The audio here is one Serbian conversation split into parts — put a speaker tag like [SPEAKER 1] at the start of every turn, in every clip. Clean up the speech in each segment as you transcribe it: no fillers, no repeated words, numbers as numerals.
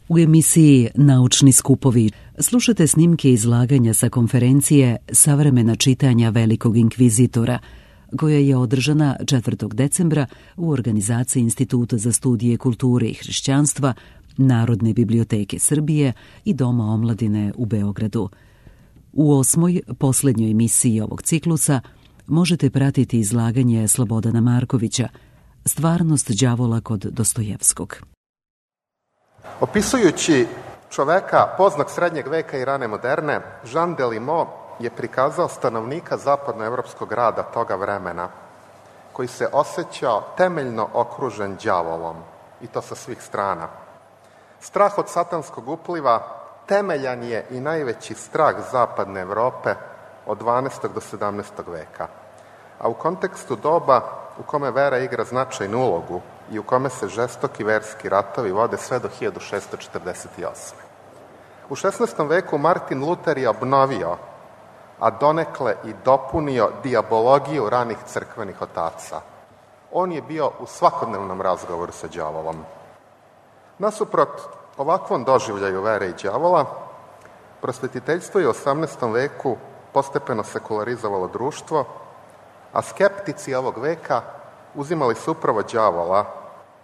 [SPEAKER 1] U emisiji Naučni skupovi slušate snimke izlaganja sa konferencije Savremena čitanja Velikog inkvizitora, koja je održana 4. decembra u organizaciji Instituta za studije kulture i hrišćanstva, Narodne biblioteke Srbije i Doma omladine u Beogradu. U 8. poslednjoj emisiji ovog ciklusa možete pratiti izlaganje Slobodana Markovića Stvarnost đavola kod Dostojevskog.
[SPEAKER 2] Opisujući čoveka poznog srednjeg veka i rane moderne, Jean Delimot je prikazao stanovnika zapadnoevropskog grada toga vremena, koji se osjećao temeljno okružen đavolom, i to sa svih strana. Strah od satanskog upliva temeljan je i najveći strah zapadne Evrope od 12. do 17. veka, a u kontekstu doba u kome vera igra značajnu ulogu i u kome se žestoki verski ratovi vode sve do 1648. U 16. veku Martin Luter je obnovio, a donekle i dopunio dijabologiju ranih crkvenih otaca. On je bio u svakodnevnom razgovoru sa đavolom. Nasuprot ovakvom doživljaju vere i đavola, prosvetiteljstvo je u 18. veku postepeno sekularizovalo društvo, a skeptici ovog veka uzimali su upravo đavola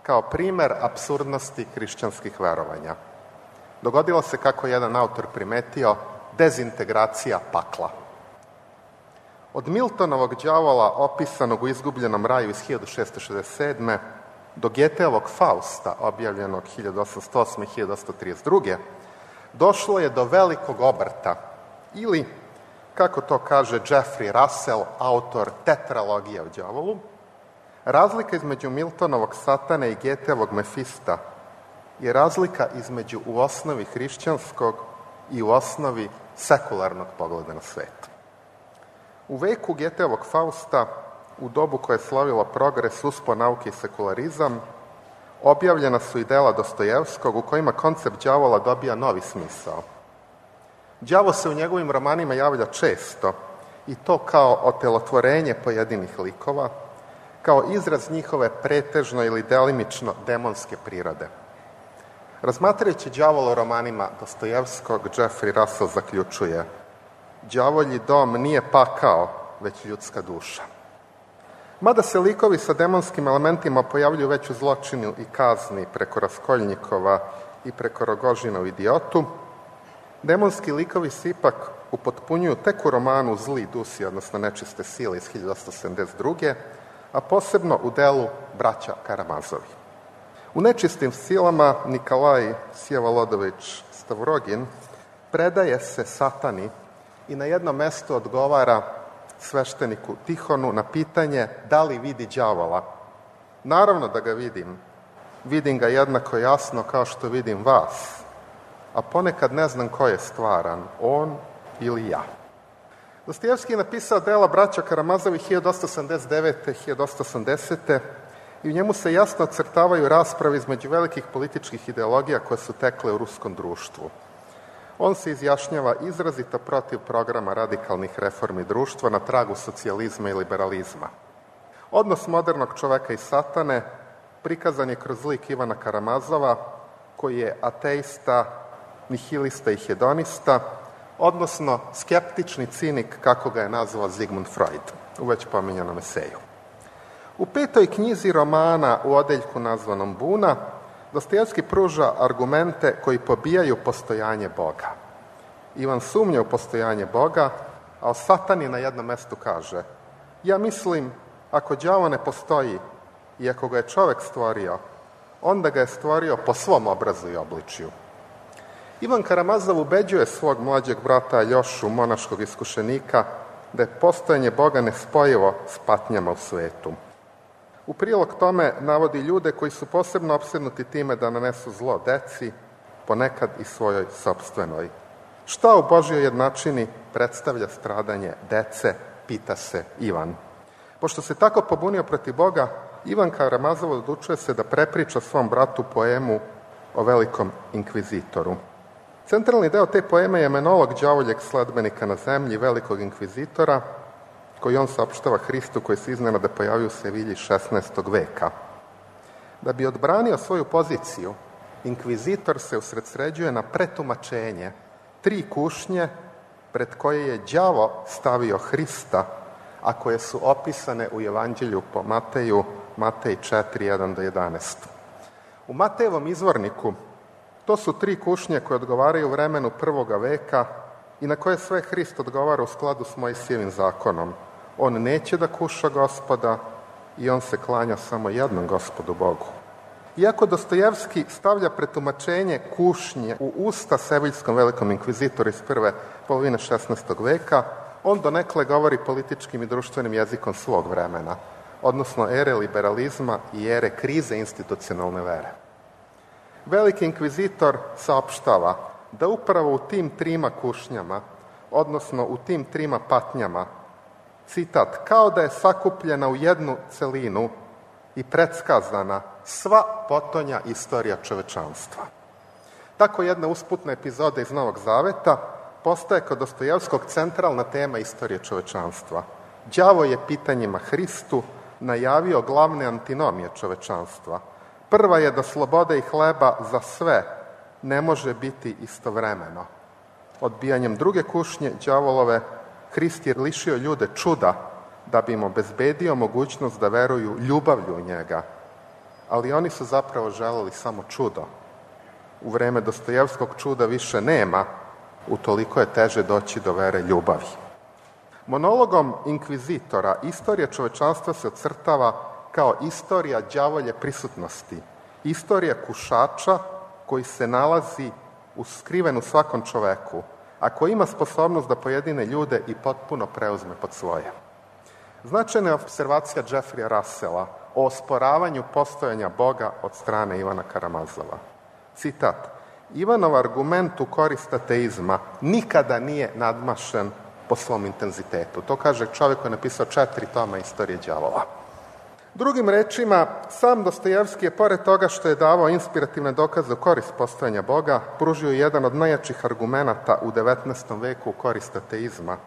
[SPEAKER 2] kao primer apsurdnosti hrišćanskih verovanja. Dogodilo se, kako jedan autor primetio, dezintegracija pakla. Od Miltonovog đavola, opisanog u Izgubljenom raju iz 1667. do Goetheovog Fausta, objavljenog 1808. i 1832. došlo je do velikog obrta, ili, kako to kaže Jeffrey Russell, autor tetralogije o đavolu, razlika između Miltonovog Satane i Goetheovog Mefista je razlika između u osnovi hrišćanskog i u osnovi sekularnog pogleda na svet. U veku Goetheovog Fausta, u dobu koje je slavilo progres, uspon nauke i sekularizam, objavljena su i dela Dostojevskog u kojima koncept đavola dobija novi smisao. Đavo se u njegovim romanima javlja često, i to kao otelotvorenje pojedinih likova, kao izraz njihove pretežno ili delimično demonske prirode. Razmatrajući đavola u romanima Dostojevskog, Jeffrey Russell zaključuje: đavolji dom nije pakao, već ljudska duša. Mada se likovi sa demonskim elementima pojavljuju već u Zločinu i kazni preko Raskoljnikova i preko Rogožina u Idiotu, demonski likovi se ipak upotpunjuju tek u romanu Zli dusi, odnosno Nečiste sile iz 1872. a posebno u delu Braća Karamazovi. U Nečistim silama Nikolaj Sjevolodović Stavrogin predaje se satani i na jednom mestu odgovara svešteniku Tihonu na pitanje da li vidi đavola. Naravno da ga vidim. Vidim ga jednako jasno kao što vidim vas, a ponekad ne znam ko je stvaran, on ili ja. Dostojevski je napisao dela Braća Karamazovi 1879. 1880. i u njemu se jasno ocrtavaju rasprave između velikih političkih ideologija koje su tekle u ruskom društvu. On se izjašnjava izrazito protiv programa radikalnih reformi društva na tragu socijalizma i liberalizma. Odnos modernog čoveka i satane prikazan je kroz lik Ivana Karamazova, koji je ateista, nihilista i hedonista, odnosno skeptični cinik, kako ga je nazvao Sigmund Freud u već pominjanom eseju. U 5. knjizi romana u odeljku nazvanom Buna, Dostojevski pruža argumente koji pobijaju postojanje Boga. Ivan sumnja u postojanje Boga, a o satani na jednom mestu kaže: ja mislim, ako đavo ne postoji i ako ga je čovek stvorio, onda ga je stvorio po svom obrazu i obličju. Ivan Karamazov ubeđuje svog mlađeg brata Aljošu, monaškog iskušenika, da je postojanje Boga nespojivo s patnjama u svetu. U prilog tome navodi ljude koji su posebno opsednuti time da nanesu zlo deci, ponekad i svojoj sopstvenoj. Šta u Božjoj jednačini predstavlja stradanje dece, pita se Ivan. Pošto se tako pobunio protiv Boga, Ivan Karamazov odlučuje se da prepriča svom bratu poemu o velikom inkvizitoru. Centralni deo te poeme je monolog đavoljeg sledbenika na zemlji, velikog inkvizitora, koji on saopštava Hristu, koji se iznenada pojavio u Sevilji 16. veka. Da bi odbranio svoju poziciju inkvizitor se usredsređuje na pretumačenje 3 kušnje pred koje je đavo stavio Hrista, a koje su opisane u Evanđelju po Mateju, Matej 4, 1-11. U Matejevom izvorniku to su 3 kušnje koje odgovaraju vremenu 1. veka i na koje sve Hrist odgovara u skladu s Mojsijevim zakonom. On neće da kuša Gospoda i on se klanja samo jednom Gospodu Bogu. Iako Dostojevski stavlja pretumačenje kušnje u usta seviljskom velikom inkvizitoru iz prve polovine 16. veka, on donekle govori političkim i društvenim jezikom svog vremena, odnosno ere liberalizma i ere krize institucionalne vere. Veliki inkvizitor saopštava da upravo u tim 3 kušnjama, odnosno u tim 3 patnjama, citat, kao da je sakupljena u jednu celinu i predskazana sva potonja istorija čovečanstva. Tako jedna usputna epizoda iz Novog Zaveta postaje kod Dostojevskog centralna tema istorije čovečanstva. Đavo je pitanjima Hristu najavio glavne antinomije čovečanstva. Prva je da slobode i hleba za sve ne može biti istovremeno. Odbijanjem druge kušnje đavolove, Hrist je lišio ljude čuda da bi im obezbedio mogućnost da veruju ljubavlju u njega. Ali oni su zapravo želeli samo čudo. U vreme Dostojevskog čuda više nema, utoliko je teže doći do vere ljubavi. Monologom inkvizitora istorija čovečanstva se ocrtava kao istorija đavolje prisutnosti, istorija kušača koji se nalazi skriven u svakom čoveku, a koji ima sposobnost da pojedine ljude i potpuno preuzme pod svoje. Značajna je observacija Jeffreya Russella o osporavanju postojanja Boga od strane Ivana Karamazova. Citat, Ivanov argument u korist ateizma nikada nije nadmašen po svom intenzitetu. To kaže čovjek koji je napisao 4 toma istorije đavola. Drugim rečima, sam Dostojevski je, pored toga što je davao inspirativne dokaze u korist postojanja Boga, pružio jedan od najjačih argumenata u 19. veku u korist ateizma.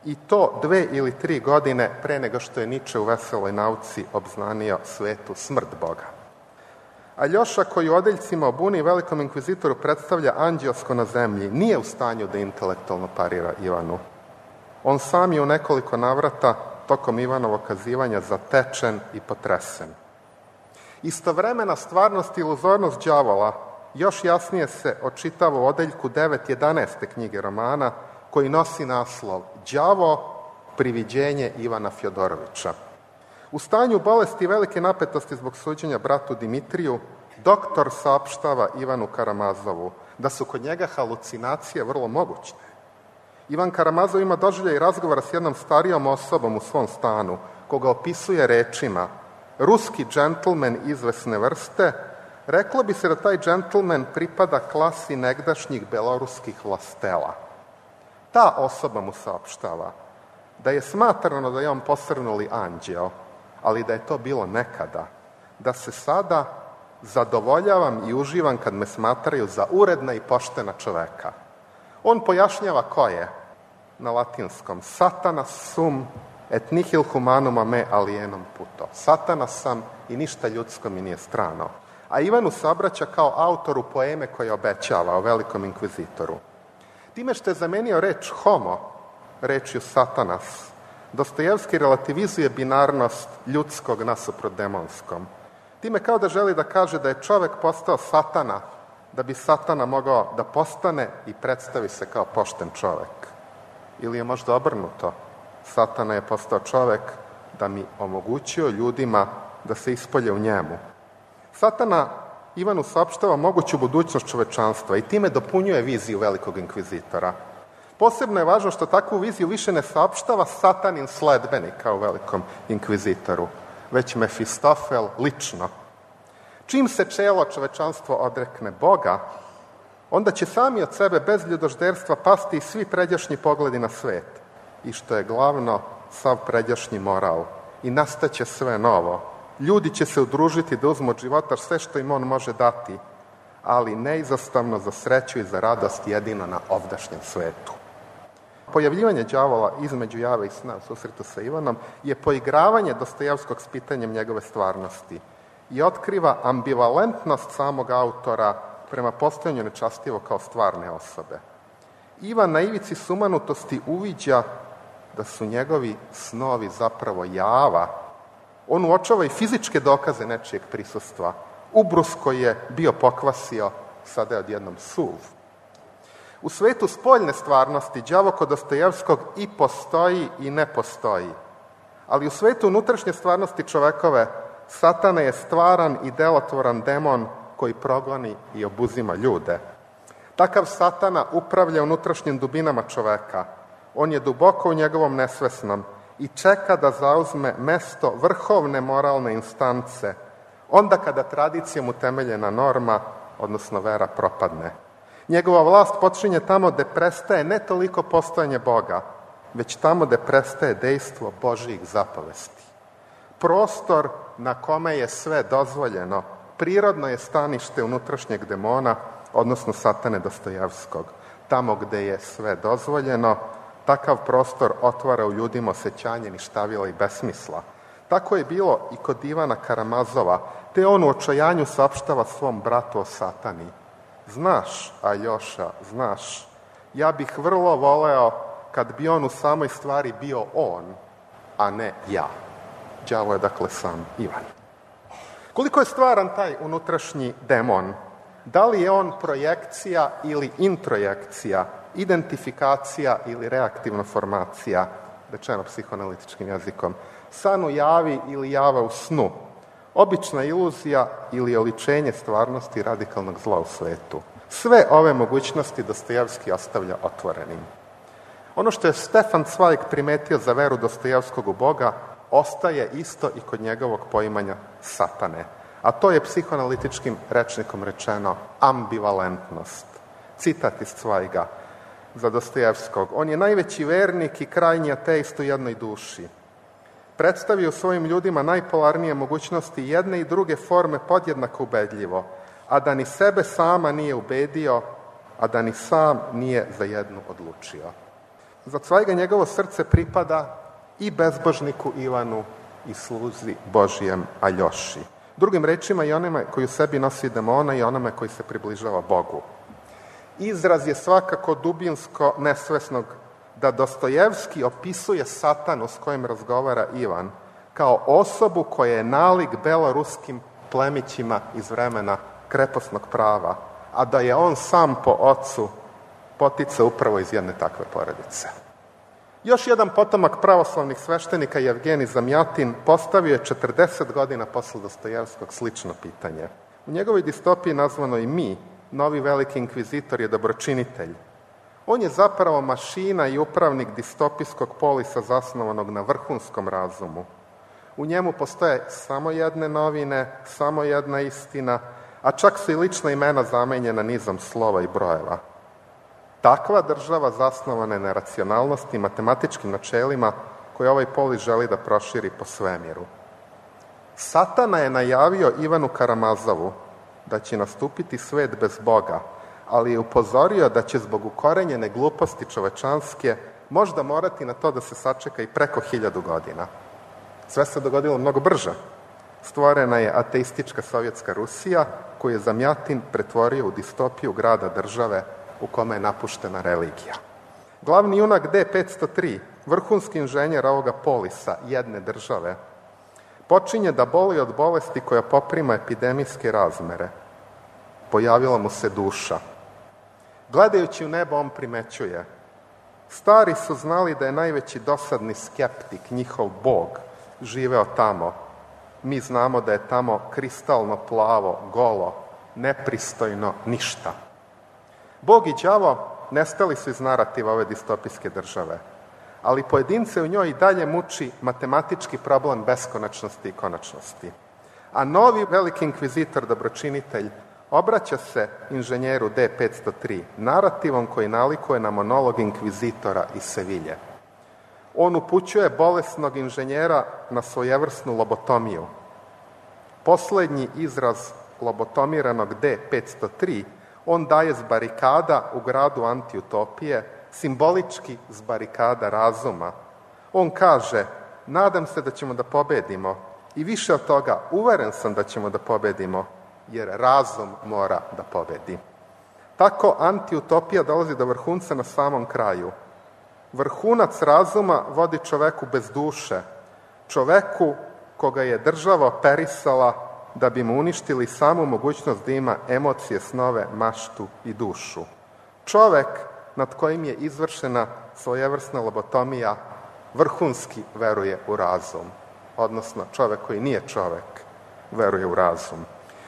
[SPEAKER 2] I to 2 ili 3 godine pre nego što je Niče u Veseloj nauci obznanio svetu smrt Boga. Aljoša, koji u odeljcima o buni velikom inkvizitoru predstavlja anđelsko na zemlji, nije u stanju da intelektualno parira Ivanu. On sam je u nekoliko navrata tokom Ivanovog kazivanja zatečen i potresen. Istovremena stvarnost i iluzornost đavola još jasnije se očitava u odeljku 9.11. knjige romana, koji nosi naslov Đavo, priviđenje Ivana Fjodorovića. U stanju bolesti i velike napetosti zbog suđenja bratu Dimitriju, doktor saopštava Ivanu Karamazovu da su kod njega halucinacije vrlo mogućne. Ivan Karamazov ima doživljaj i razgovora s jednom starijom osobom u svom stanu, koga opisuje rečima ruski džentlmen izvesne vrste. Reklo bi se da taj džentlmen pripada klasi negdašnjih beloruskih vlastela. Ta osoba mu saopštava da je smatrano da je on posrnuli anđeo, ali da je to bilo nekada, da se sada zadovoljavam i uživam kad me smatraju za uredna i poštena čoveka. On pojašnjava ko je na latinskom Satanas sum et nihil humanum a me alienum puto. Satanas sam i ništa ljudsko mi nije strano. A Ivanu se obraća kao autoru poeme koje obećava o velikom inkvizitoru. Time što je zamenio reč homo, rečju satanas, Dostojevski relativizuje binarnost ljudskog nasuprot demonskom. Time kao da želi da kaže da je čovek postao satana, da bi satana mogao da postane i predstavi se kao pošten čovek. Ili je možda obrnuto, satana je postao čovek da mi omogućio ljudima da se ispolje u njemu. Satana Ivanu saopštava moguću budućnost čovečanstva i time dopunjuje viziju velikog inkvizitora. Posebno je važno što takvu viziju više ne saopštava satanin sledbenik kao velikom inkvizitoru, već Mefistofel lično. Čim se čelo čovečanstvo odrekne Boga, onda će sami od sebe bez ljudožderstva pasti i svi pređašnji pogledi na svet. I što je glavno, sav pređašnji moral. I nastaće sve novo. Ljudi će se udružiti da uzmu od života sve što im on može dati, ali neizostavno za sreću i za radost jedino na ovdašnjem svetu. Pojavljivanje đavola između jave i sna u susretu sa Ivanom je poigravanje Dostojevskog s pitanjem njegove stvarnosti i otkriva ambivalentnost samog autora prema postojanju nečastivo kao stvarne osobe. Ivan na ivici sumanutosti uviđa da su njegovi snovi zapravo java. On uočava i fizičke dokaze nečijeg prisustva. Ubrus koji je bio pokvasio, sada je odjednom suv. U svetu spoljne stvarnosti đavo kod Dostojevskog i postoji i ne postoji. Ali u svetu unutrašnje stvarnosti čovekove Satana je stvaran i delotvoran demon koji progoni i obuzima ljude. Takav Satana upravlja unutrašnjim dubinama čoveka. On je duboko u njegovom nesvesnom i čeka da zauzme mesto vrhovne moralne instance, onda kada tradicijom utemeljena norma, odnosno vera, propadne. Njegova vlast počinje tamo gde prestaje ne toliko postojanje Boga, već tamo gde prestaje dejstvo Božijih zapovesti. Prostor na kome je sve dozvoljeno, prirodno je stanište unutrašnjeg demona, odnosno Satane Dostojevskog. Tamo gde je sve dozvoljeno, takav prostor otvara u ljudima osjećanje ništavila i besmisla. Tako je bilo i kod Ivana Karamazova, te on u očajanju saopštava svom bratu o Satani. Znaš, Aljoša, znaš, ja bih vrlo voleo kad bi on u samoj stvari bio on, a ne ja. Đavo je dakle sam Ivan. Koliko je stvaran taj unutrašnji demon? Da li je on projekcija ili introjekcija, identifikacija ili reaktivna formacija, rečeno psihoanalitičkim jezikom, san u javi ili java u snu, obična iluzija ili oličenje stvarnosti radikalnog zla u svetu? Sve ove mogućnosti Dostojevski ostavlja otvorenim. Ono što je Stefan Zweig primetio za veru Dostojevskog u Boga ostaje isto i kod njegovog poimanja Satane, a to je psihoanalitičkim rečnikom rečeno ambivalentnost. Citat iz Zweiga za Dostojevskog. On je najveći vernik i krajnji ateist u jednoj duši. Predstavio svojim ljudima najpolarnije mogućnosti jedne i druge forme podjednako ubedljivo, a da ni sebe sama nije ubedio, a da ni sam nije za jednu odlučio. Za Zweiga njegovo srce pripada i bezbožniku Ivanu i sluzi Božijem Aljoši. Drugim rečima i onome koji u sebi nosi demona i onome koji se približava Bogu. Izraz je svakako dubinsko nesvesnog da Dostojevski opisuje Satanu s kojim razgovara Ivan kao osobu koja je nalik beloruskim plemićima iz vremena kreposnog prava, a da je on sam po ocu potica upravo iz jedne takve porodice. Još jedan potomak pravoslavnih sveštenika, Jevgenij Zamjatin, postavio je 40 godina posle Dostojevskog slično pitanje. U njegovoj distopiji nazvanoj Mi, novi veliki inkvizitor je dobročinitelj. On je zapravo mašina i upravnik distopijskog polisa zasnovanog na vrhunskom razumu. U njemu postoje samo jedne novine, samo jedna istina, a čak su i lična imena zamenjena nizom slova i brojeva. Takva država zasnovana je na racionalnosti i matematičkim načelima koje ovaj polis želi da proširi po svemiru. Satana je najavio Ivanu Karamazovu da će nastupiti svet bez Boga, ali je upozorio da će zbog ukorenjene gluposti čovečanske možda morati na to da se sačeka i preko 1000 godina. Sve se dogodilo mnogo brže. Stvorena je ateistička sovjetska Rusija, koju je Zamjatin pretvorio u distopiju grada države u kome je napuštena religija. Glavni junak D503, vrhunski inženjer ovoga polisa, jedne države, počinje da boli od bolesti koja poprima epidemijske razmere. Pojavila mu se duša. Gledajući u nebo, on primećuje: stari su znali da je najveći dosadni skeptik, njihov Bog, živeo tamo. Mi znamo da je tamo kristalno plavo, golo, nepristojno ništa. Bog i đavo nestali su iz narativa ove distopijske države, ali pojedince u njoj i dalje muči matematički problem beskonačnosti i konačnosti. A novi veliki inkvizitor, dobročinitelj, obraća se inženjeru D503 narativom koji nalikuje na monolog inkvizitora iz Sevilje. On upućuje bolesnog inženjera na svojevrsnu lobotomiju. Poslednji izraz lobotomiranog D503 on daje s barikada u gradu antiutopije, simbolički s barikada razuma. On kaže: nadam se da ćemo da pobedimo i više od toga, uveren sam da ćemo da pobedimo, jer razum mora da pobedi. Tako antiutopija dolazi do vrhunca na samom kraju. Vrhunac razuma vodi čoveku bez duše, čoveku koga je država operisala da bi mu uništili samu mogućnost da ima emocije, snove, maštu i dušu. Čovek nad kojim je izvršena svojevrsna lobotomija vrhunski veruje u razum, odnosno čovek koji nije čovek veruje u razum.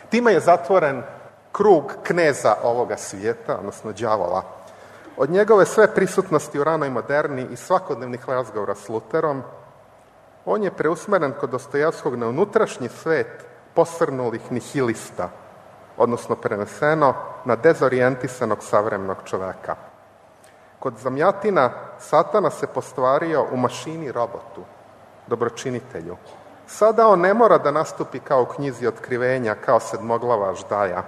[SPEAKER 2] Time je zatvoren krug kneza ovoga svijeta, odnosno đavola. Od njegove sve prisutnosti u ranoj moderni i svakodnevnih razgovora s Luterom, on je preusmeren kod Dostojevskog na unutrašnji svet posrnulih nihilista, odnosno preneseno na dezorijentisanog savremenog čoveka. Kod Zamjatina Satana se postvario u mašini robotu, dobročinitelju. Sada on ne mora da nastupi kao u knjizi Otkrivenja, kao sedmoglava aždaja.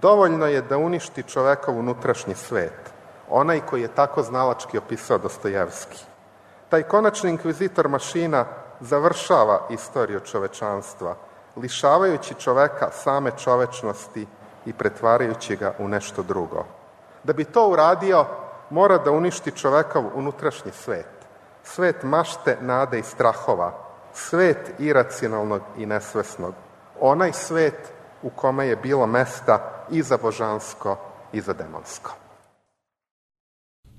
[SPEAKER 2] Dovoljno je da uništi čovekov unutrašnji svet, onaj koji je tako znalački opisao Dostojevski. Taj konačni inkvizitor mašina završava istoriju čovečanstva, lišavajući čoveka same čovečnosti i pretvarajući ga u nešto drugo. Da bi to uradio, mora da uništi čovekov unutrašnji svet, svet mašte, nade i strahova, svet iracionalnog i nesvesnog, onaj svet u kome je bilo mesta i za božansko i za demonsko.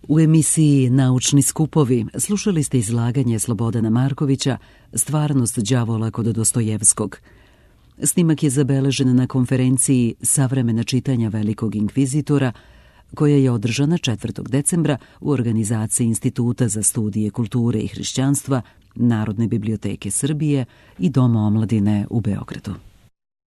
[SPEAKER 1] U emisiji Naučni skupovi slušali ste izlaganje Slobodana Markovića Stvarnost đavola kod Dostojevskog. Snimak je zabeležen na konferenciji Savremena čitanja velikog inkvizitora, koja je održana 4. decembra u organizaciji Instituta za studije kulture i hrišćanstva Narodne biblioteke Srbije i Doma omladine u Beogradu.